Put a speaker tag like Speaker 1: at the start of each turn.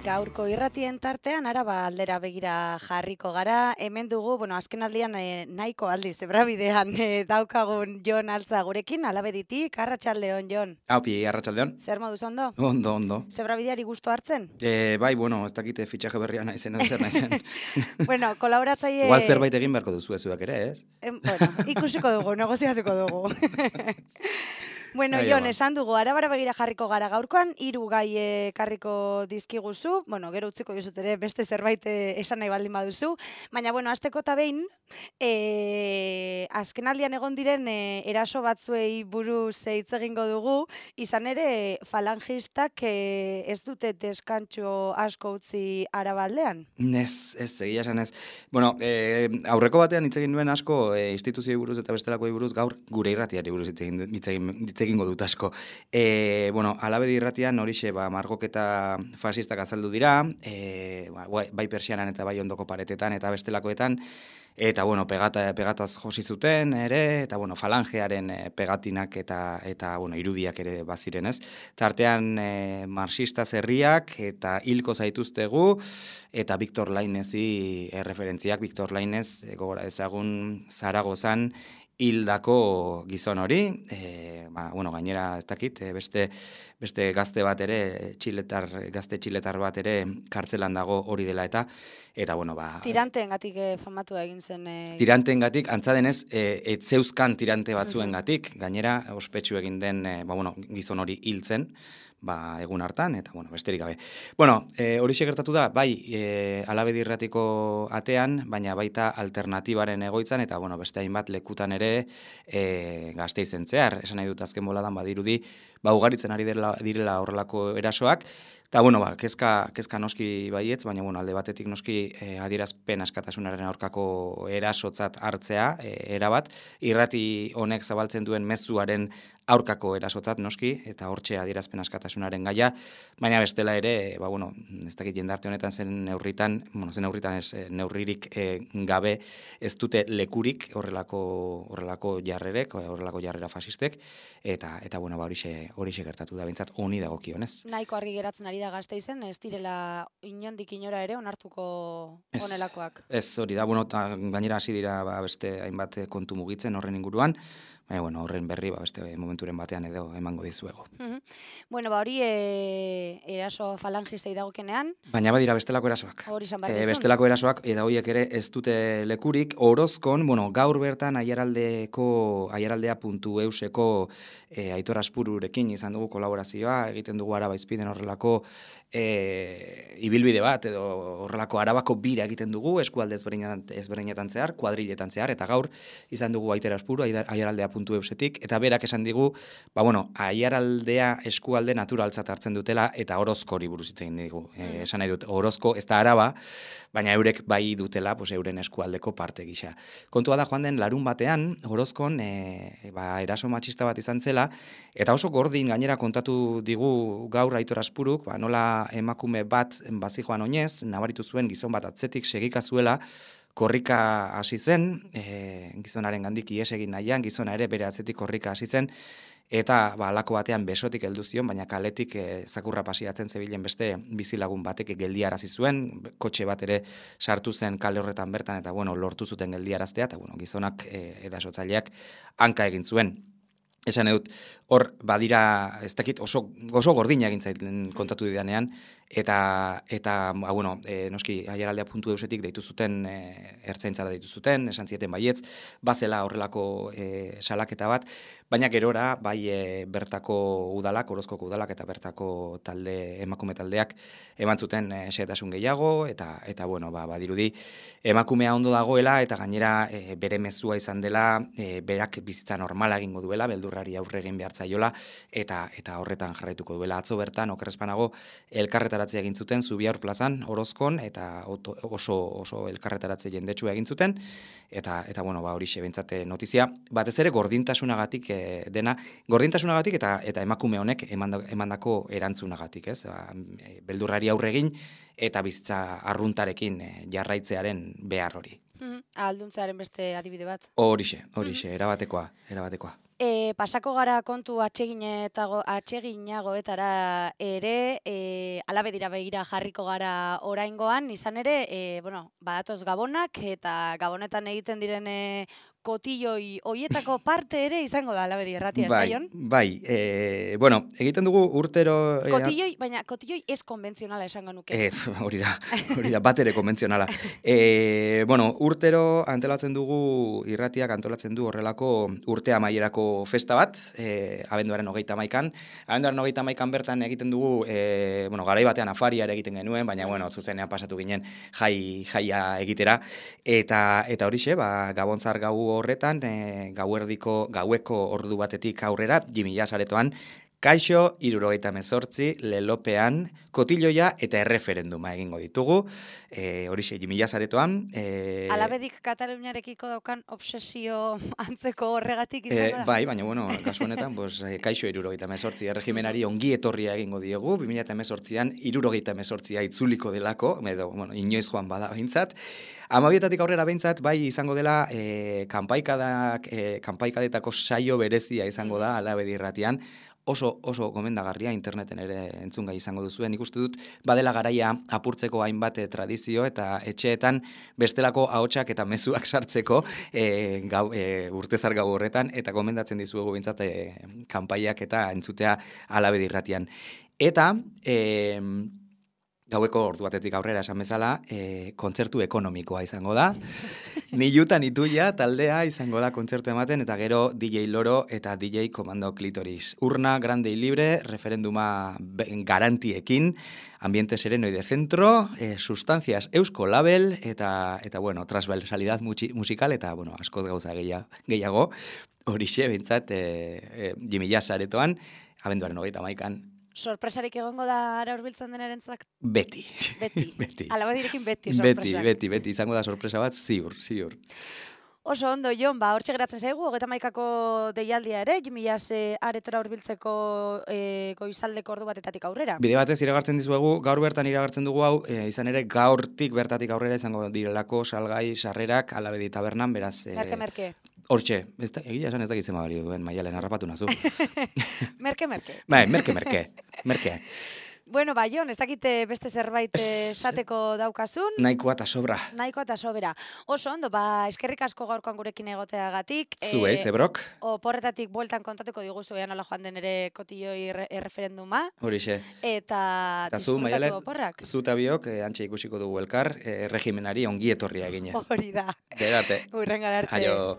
Speaker 1: Gaurko irratien tartean Araba aldera begira jarriko gara. Hemen dugu, azkenaldian nahiko aldiz zebrabidean daukagun Jon Altza gurekin, Alabeditik. Arratsaldeon, Jon.
Speaker 2: Aupi, arratsaldeon.
Speaker 1: Zer moduz ondo?
Speaker 2: Ondo.
Speaker 1: Zebrabideari gustu hartzen?
Speaker 2: Bai, ez dakite fitxaje berria naizen edo zer naizen.
Speaker 1: Kolaboratzaile...
Speaker 2: Igual zerbait egin beharko duzu zuek ere, ez?
Speaker 1: Ikusiko dugu, negoziatuko dugu. Jon, esan dugu, Arabara begira jarriko gara gaurkoan, 3 gai ekarriko dizkiguzu, gero utziko dizut ere beste zerbait esan nahi baldin baduzu, baina, hasteko eta behin, azkenaldian egon diren eraso batzuei buruz hitz egingo dugu, izan ere falangistak ez dute deskantxo asko utzi Arabaldean?
Speaker 2: Ez, egia esan ez. Aurreko batean hitz egin duen asko instituzioi buruz eta bestelakoi buruz, gaur gure irratiari buruz hitz egingo dut asko. Alabedi irratian horixe margoketa fasistak azaldu dira, bai persianan eta bai ondoko paretetan eta bestelakoetan, eta pegataz josi zuten ere, eta falangearen pegatinak eta irudiak ere baziren, ez? Tartean marxista zerriak eta hilko zaituztegu, eta Victor Lainezi referentziak, Victor Lainez gogora ezagun Zaragozan hildako gizon hori, gainera ez dakit, beste gazte bat ere, gazte txiletar bat ere kartzelan dago hori dela eta
Speaker 1: Tiranteengatik famatua egin zen...
Speaker 2: Tiranteengatik, antza denez, etzeuzkan tirante batzuengatik, gainera ospetsu egin den gizon hori hiltzen, egun hartan, eta besterik gabe. Horixe gertatu da, bai, Alabedi irratiko atean, baina baita alternatibaren egoitzan, eta beste hainbat lekutan ere Gasteizen zehar. Esan nahi dut azken boladan badirudi, ugaritzen ari direla horrelako erasoak, eta kezka noski baietz, baina alde batetik noski adierazpen askatasunaren aurkako erasotzat hartzea, erabat, irrati honek zabaltzen duen mezuaren aurkako erasotzat noski, eta hortxe adierazpen askatasunaren gaia, baina bestela ere, ez dakit jendarte honetan zen neurririk gabe ez dute lekurik horrelako jarrerek, horrelako jarrera fasistek, eta horixe gertatu da, bintzat honi dagokionez.
Speaker 1: Nahiko argi geratzen ari da Gasteizen, ez direla inondik inora ere onartuko honelakoak.
Speaker 2: Ez hori da, gainera hasi dira beste hainbat kontu mugitzen horren inguruan, baina horren berri beste momenturen batean edo emango dizuego.
Speaker 1: Hori eraso falangistei dagokenean.
Speaker 2: Baina badira bestelako erasoak.
Speaker 1: Hori izan behar dizun.
Speaker 2: Bestelako erasoak, eta horiek ere ez dute lekurik. Orozkon, gaur bertan aiaraldea.euseko Aitor Aspururekin izan dugu kolaborazioa, egiten dugu Araba Izpiden horrelako ibilbide bat, edo horrelako Arabako bira egiten dugu, eskualde ezberdinetan zehar, kuadriletan zehar, eta gaur izan dugu Aitor Aspuru, aiaraldea.eusetik, eta berak esan digu, aiaraldea eskualde naturaltzat hartzen dutela, eta Orozkori buruz hitz egin digu. Esan nahi dut, Orozko ez da Araba, baina eurek bai dutela, euren eskualdeko parte gisa. Kontua da joan den larun batean, Orozkon eraso matxista bat izan zela, eta oso gordin gainera kontatu digu gaur Aitor Aspuruk, nola emakume bat bazijoan oinez, nabaritu zuen gizon bat atzetik segika zuela, korrika hasi zen, gizonaren gandik ihes egin nahian, gizona ere bere atzetik korrika hasi zen, eta halako batean besotik heldu zion, baina kaletik zakurra pasiatzen zebilen beste bizilagun batek geldiarazi zuen, kotxe bat ere sartu zen kale horretan bertan, eta lortu zuten geldiaraztea, eta gizonak erasotzaileak hanka egin zuen. Esan edut, hor badira, ez dakit, oso gordina egin zaiten kontatu didanean, eta noski aiaraldea.eusetik deitu zuten, ertzaintzara deitu zuten, esan zieten baietz, bazela horrelako salaketa bat, baina gerora, bai bertako udalak, Orozkoko udalak eta bertako emakume taldeak eman zuten xehetasun gehiago, eta badirudi, emakumea ondo dagoela, eta gainera bere mezua izan dela, berak bizitza normala egingo duela, beldurrari aurre egin behar zaiola, eta horretan jarraituko duela. Atzo bertan, okerrezpanago, elkarretaratzea egin zuten, Zubiaur plazan, Orozkon, eta oso elkarretaratze jendetsua egin zuten, eta horixe bentsate notizia. Batez ere gordintasunagatik dena, gordintasunagatik eta emakume honek emandako erantzunagatik, ez? Beldurrari aurre egin, eta bizitza arruntarekin jarraitzearen behar hori.
Speaker 1: Ahalduntzearen beste adibide bat.
Speaker 2: Horixe, erabatekoa.
Speaker 1: Pasako gara kontu atseginagoetara ere, alabe dira begira jarriko gara oraingoan, izan ere, badatoz gabonak eta gabonetan egiten diren kotilloi hoietako parte ere izango da alabe irratia, ez da, Jon?
Speaker 2: Bai, egiten dugu urtero...
Speaker 1: Baina kotilloi ez konbentzionala esango nuke.
Speaker 2: Hori da, bat ere konbentzionala. Urtero antolatzen dugu, irratiak antolatzen du horrelako urte amaierako festa bat, abenduaren 31an. Abenduaren 31an bertan egiten dugu, garai batean afaria ere egiten genuen, baina, zuzenean pasatu ginen jaia egitera. Eta horixe, Gabontzar gau horretan, gaueko ordu batetik aurrera, Jimmy Jazz aretoan, Kaixo, 78, lelopean, kotilloia eta erreferenduma egingo ditugu. Horixe, Jimmy Jazz aretoan.
Speaker 1: Alabedik Kataluniarekiko daukan obsesio antzeko horregatik izan da?
Speaker 2: Bai, baina, kasu honetan, Kaixo 78, erregimenari ongi etorria egingo diegu, 2018an 78 itzuliko delako, inoiz joan bada behintzat. Amabietatik aurrera behintzat, bai izango dela kanpaikadetako saio berezia izango da Alabedi irratian, oso gomendagarria interneten ere entzungai izango duzuen. Nik uste dut badela garaia apurtzeko hainbat tradizio eta etxeetan bestelako ahotsak eta mezuak sartzeko urtezar gau horretan, eta gomendatzen dizuegu behintzat kanpaiak eta entzutea Alabedi irratian. Eta gaueko ordu batetik aurrera esan bezala, kontzertu ekonomikoa izango da. Nilutan ituia taldea izango da kontzertu ematen, eta gero DJ Loro eta DJ Komando Klitoris. Urna, grande y libre, referenduma garantiekin, ambiente sereno y de centro, sustancias eusko label, eta transversalidad musical, eta, askoz gauza gehiago, horixe, bintzat, Jimmy Jazz aretoan, abenduaren 31an.
Speaker 1: Sorpresarik egongo da ara hurbiltzen denarentzat?
Speaker 2: Beti.
Speaker 1: Alabedirekin beti sorpresak.
Speaker 2: Beti, izango da sorpresa bat, ziur.
Speaker 1: Oso ondo, Jon, hortxe geratzen zaigu, 31ko deialdia ere, Jimmy Jazz aretara hurbiltzeko goizaldeko ordu batetatik aurrera. Bide
Speaker 2: batez iragartzen dizuegu, gaur bertan iragartzen dugu hau, izan ere gaurtik bertatik aurrera izango direlako salgai sarrerak Alabedi tabernan, beraz...
Speaker 1: Merke.
Speaker 2: Hortxe, egia esan ez dakitzen balio duen, Maialen, harrapatu nazu.
Speaker 1: Merke.
Speaker 2: Bai, merke.
Speaker 1: Bueno, Jon, ez dakite beste zerbait esateko daukazun.
Speaker 2: Nahikoa eta sobra.
Speaker 1: Oso ondo, eskerrik asko gaurkoan gurekin egoteagatik.
Speaker 2: Zuei, zebrok.
Speaker 1: Oporretatik bueltan kontatuko diguzu ean nola joan den ere kotilloi erreferenduma.
Speaker 2: Horixe.
Speaker 1: Eta
Speaker 2: zu, Maialen,
Speaker 1: oporrak.
Speaker 2: Zu eta biok, antxe ikusiko dugu elkar, regimenari ongi etorria eginez.
Speaker 1: Hori da.
Speaker 2: Gerate.
Speaker 1: Hurrengar arte.
Speaker 2: Aio.